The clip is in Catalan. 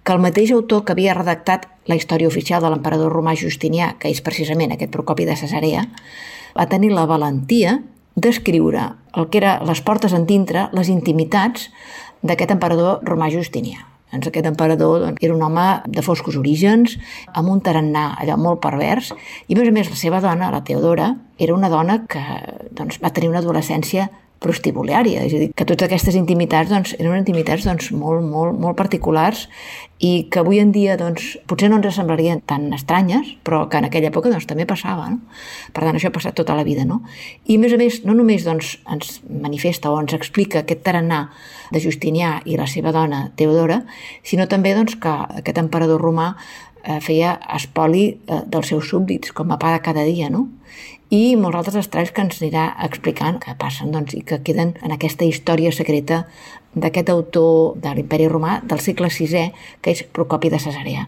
que el mateix autor que havia redactat la història oficial de l'emperador romà Justinià, que és precisament aquest Procopi de Cesarea, va tenir la valentia d'escriure el que era les portes endintre, les intimitats d'aquest emperador romà Justinià. Doncs aquest emperador era un home de foscos orígens, amb un tarannà allò molt pervers, i a més la seva dona, la Teodora, era una dona que va tenir una adolescència prostíbuliària, és a dir, que totes aquestes intimitats eren intimitats molt particulars i que avui en dia potser no ens semblarien tan estranyes, però que en aquella època també passava, no? Per tant, això ha passat tota la vida, no? I a més, no només ens manifesta o ens explica aquest tarannà de Justinià i la seva dona Teodora, sinó també que aquest emperador romà feia espoli dels seus súbdits, com a pa de cada dia, no? I molts altres estralls que ens anirà explicant que passen i que queden en aquesta història secreta d'aquest autor de l'Imperi Romà del segle VI, que és Procopi de Cesarea.